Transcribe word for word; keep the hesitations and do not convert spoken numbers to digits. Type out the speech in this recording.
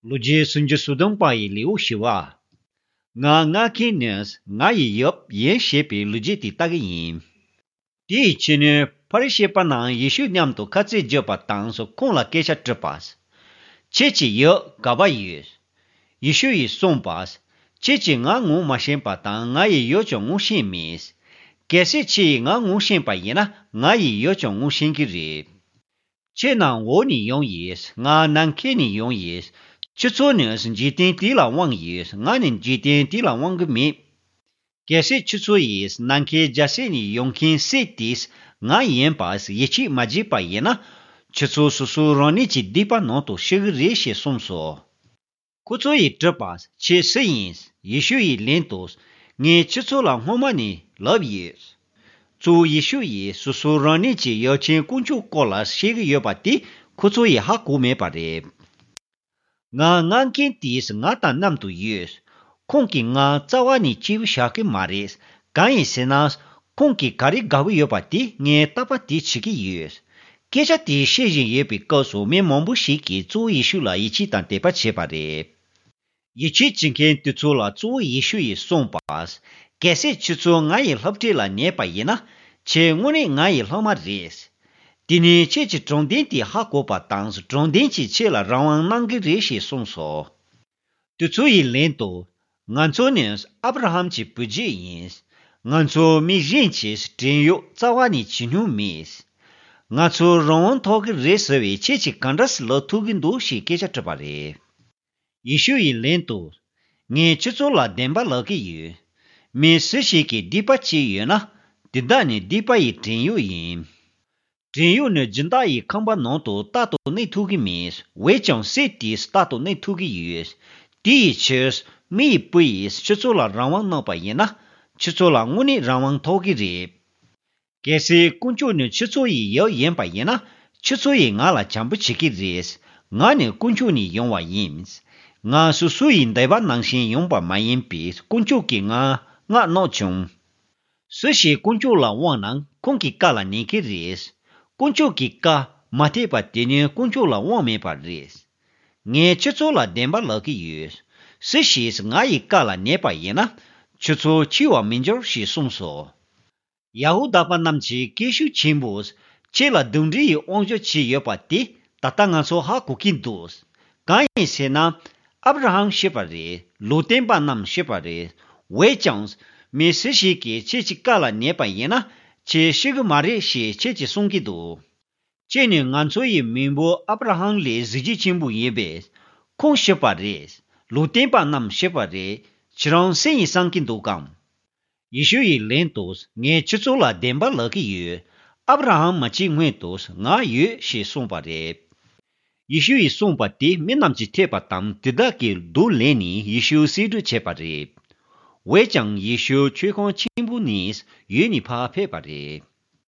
ལོ་རྒྱུས་སུམ་ཅུ་སོ་བདུན་པ་ཡི་ལེའུ་བཞི་པ། ང་མངགས་མཁན་ནི་ང་ཡི་ཡབ་ཡིན་ཞེས་པའི་ལོ་རྒྱུས་དེ་ལྟ་གི་ཡིན། དེའི་ཕྱི་ནས་ཕ་རི་ཤི་པ་རྣམས་ཡེ་ཤུ་མཉམ་དུ་ཁ་རྩོད་བརྒྱབ་པ་དང་། ཁོང་ལ་སྐད་ཆ་དྲིས་པ། ཁྱེད་ཀྱི་ཡབ་ག་པར་ཡོད། ཡེ་ཤུ་ཡིས་གསུངས་པ། ཁྱེད་ཀྱིས་ང་ངོ་མ་ཤེས་པ་དང་། ང་ཡི་ཡབ་ཀྱང་ངོ་ཤེས་མེད། གལ་སྲིད་ཁྱེད་ཀྱིས་ང་ངོ་ཤེས་པ་ཡིན་ན། ང་ཡི་ཡབ་ཀྱང་ངོ་ཤེས་ཀྱི་རེད། ཁྱེད་ནི་འོག་ནས་ཡོང་ཡིན། ང་ནམ་མཁའ་ནས་ཡོང་ཡིན། ཁྱེད་ཚོ་ནི་འཇིག་རྟེན་དེ་ལ་དབང་ཡོད། ང་ནི་འཇིག་རྟེན་དེ་ལ་དབང་གི་མེད། གལ་སྲིད་ཁྱེད་ཚོ་ཡིས་ནམ་མཁའི་རྒྱལ་སྲིད་ནས་ཡོང་མཁན་སྲས་དེས་ང་ཡིན་པ་ཡིད་ཆེས་མ་བྱས་པ་ཡིན་ན། ཁྱེད་ཚོ་སོ་སོ་རང་ཉིད་ཀྱི་སྡིག་པ་ནང་དུ་ཤི་གི་རེད་ཞེས་གསུངས་སོ། ཁོ་ཚོ་ཡིས་དྲིས་པ། ཁྱེད་སུ་ཡིན། ཡེ་ཤུ་ཡིས་ལན་དུ། ངས་ཁྱེད་ཚོ་ལ་སྔོན་མ་ནས་ལབ་ཡོད། གཙོ་བོ་ཡེ་ཤུ་ཡིས་སོ་སོ་རང་ཉིད་ཀྱི་ཡབ་ཆེན་དཀོན་མཆོག་སྐོར་ལ་བཤད་ཀྱི་ཡོད་པ་དེ་ཁོ་ཚོ་ཡིས་ཧ་གོ་མེད་པ་རེད། ང་མངགས་མཁན་དེས་ང་དང་མཉམ་དུ་ཡོད། ཁོང་གིས་ང་རྩ་བ་ནས་སྐྱིད་པོ་བཞག་གི་མ་རེད། གང་ཡིན་ཟེར་ན། ཁོང་གིས་ག་རེ་དགའ་པོ་ཡོད་པ་དེ་ངས་རྟག་པར་དེ་བྱེད་ཀྱི་ཡོད། སྐད་ཆ་དེ་བཤད་བཞིན་ཡོད་པའི་སྐབས་སུ་མི་མང་པོ་ཞིག་གིས་གཙོ་བོ་ཡེ་ཤུ་ལ་ཡིད་ཆེས་དང་དད་པ་བྱས་པ་རེད། ཡིད་ཆེས་བྱེད་མཁན་དེ་ཚོ་ལ་གཙོ་བོ་ཡེ་ཤུ་ཡིས་གསུངས་པ། གལ་སྲིད་ཁྱེད་ཚོ་ང་ཡི་སློབ་ཁྲིད་ལ་ཉན་པ་ཡིན་ན། ཁྱེད་དངོས་གནས་ང་ཡི་སློབ་མ་རེད། དེ་ནས་ཁྱེད་ཀྱིས་དྲང་བདེན་དེ་ཧ་གོ་བ་དང་། དྲང་བདེན་གྱིས་ཁྱེད་ལ་རང་དབང་གནང་གི་རེད་ཞེས་གསུངས་སོ། དེ་ཚོ་ཡིས་ལན་དུ། ང་ཚོ་ནི་ཨབ་ར་ཧམ་གྱི་བུ་རྒྱུད་ཡིན། ང་ཚོ་མི་གཞན་གྱིས་བྲན་གཡོག་རྩ་བ་ནས་བྱེད་མྱོང་མེད། ང་ཚོ་རང་དབང་ཐོབ་ཀྱི་རེད་ཟེར་བས་ཁྱེད་ཀྱིས་ག་འདྲ་སེ་ལབ་ཐུབ་ཀྱི་འདུག་ཞེས་སྐད་ཆ་དྲིས་པ་རེད། ཡེ་ཤུ་ཡིས་ལན་དུ། ངས་ཁྱེད་ཚོ་ལ་བདེན་པ་ལབ་ཀྱི་ཡོད། མི་སུ་ཞིག་གིས་སྡིག་པ་བྱས་ཡོད་ན། དེ་དག་ནི་སྡིག་པ་ཡི་བྲན་གཡོག་ཡིན། བྲན་གཡོག་ནི་སྦྱིན་བདག་ཡི་ཁང་པ་ནང་དུ་རྟག་ཏུ་གནས་ཐུབ་ཀྱི་མེད། འོན་ཀྱང་སྲས་དེས་རྟག་ཏུ་གནས་ཐུབ་ཀྱི་ཡོད། དེ་ཡི་ཕྱིར་མི་ཡི་བུ་ཡིས་ཁྱེད་ཚོ་ལ་རང་དབང་གནང་པ་ཡིན་ན། ཁྱེད་ཚོ་ལ་དངོས་གནས་རང་དབང་ཐོབ་ཀྱི་རེད། གལ་སྲིད་དཀོན་མཆོག་ནི་ཁྱེད་ཚོ་ཡི་ཡབ་ཡིན་པ་ཡིན་ན། ཁྱེད་ཚོ་ཡིས་ང་ལ་བྱམས་པོ་བྱེད་ཀྱི་རེད། ང་ནི་དཀོན་མཆོག་ནས་ཡོང་བ་ཡིན། ང་སོ་སོ་ཡི་འདོད་པ་ནང་བཞིན་ཡོང་པ་མ་ཡིན་པས། དཀོན་མཆོག་གིས་ང་མངགས་གནང་བྱུང་། སུ་ཞིག་དཀོན་མཆོག་ལ་དབང་ན་ཁོང་གི་བཀའ་ལ་ཉན་གྱི་རེད། དཀོན་མཆོག་གི་བཀའ་མ་ཐེག་པ་དེ་ནི་དཀོན་མཆོག་ལ་དབང་མེད་པ་རེད། ངས་ཁྱེད་ཚོ་ལ་བདེན་པ་ལབ་ཀྱི་ཡོད། སུ་ཞིག་ང་ཡི་བཀའ་ལ་ཉན་པ་ཡིན་ན། ཁྱེད་ཚོ་འཆི་བར་མི་འགྱུར་ཞེས་གསུངས་སོ། ཡ་ཧུ་དཱ་པ་རྣམས་ཀྱིས་སྐད་ཤུགས་ཆེན་པོས། ཁྱེད་ལ་གདོན་འདྲེ་ཡི་དབང་ཤུགས་ཅིག་ཡོད་པ་དེ་ད་ལྟ་ང་ཚོ་ཧ་གོ་གི་འདུག། གང་ཡིན་ཟེར་ན། ཨབ་ར་ཧམ་ཤི་བ་རེད། ལུང་སྟོན་པ་རྣམས་ཤི་བ་རེད། འོན་ཀྱང་། མི་སུ་ཞིག་གིས་ཁྱེད་ཀྱི་བཀའ་ལ་ཉན་པ་ཡིན་ན། ཁྱེད་ཤི་གི་མ་རེད་ཞེས་ཁྱེད་ཀྱིས་གསུང་གི་འདུག། ཁྱེད་ནི་ང་ཚོ་ཡི་མེས་པོ་ཨབ་ར་ཧམ་ལས་གཟི་བརྗིད་ཆེན་པོ་ཡིན་པས། ཁོང་ཤི་བ་རེད། ལུང་སྟོན་པ་རྣམས་ཤི་བ་རེད། ཁྱེད་རང་སུ་ཡིན་བསམ་གྱི་འདུག་གམ། ཡེ་ཤུ་ཡིས་ལན་དུ། ངས་ཁྱེད་ཚོ་ལ་བདེན་པ་ལབ་ཀྱི་ཡོད། ཨབ་ར་ཧམ་མ་སྐྱེས་སྔོན་དུ་ང་ཡོད་ཞེས་གསུངས་པ་རེད། ཡེ་ཤུ་ཡིས་གསུངས་པ་དེ་མི་རྣམས་ཀྱིས་ཐོས་པ་དང་། དེ་དག་གིས་སྡུག་ལེན་ནས་ཡེ་ཤུ་གསོད་གྲོས་བྱས་པ་རེད། འོན་ཀྱང་ཡེ་ཤུ་མཆོད་ཁང་ཆེན་པོ་ནས་ཡུལ་ནས་ཕར་ཕེབས་པ་རེད།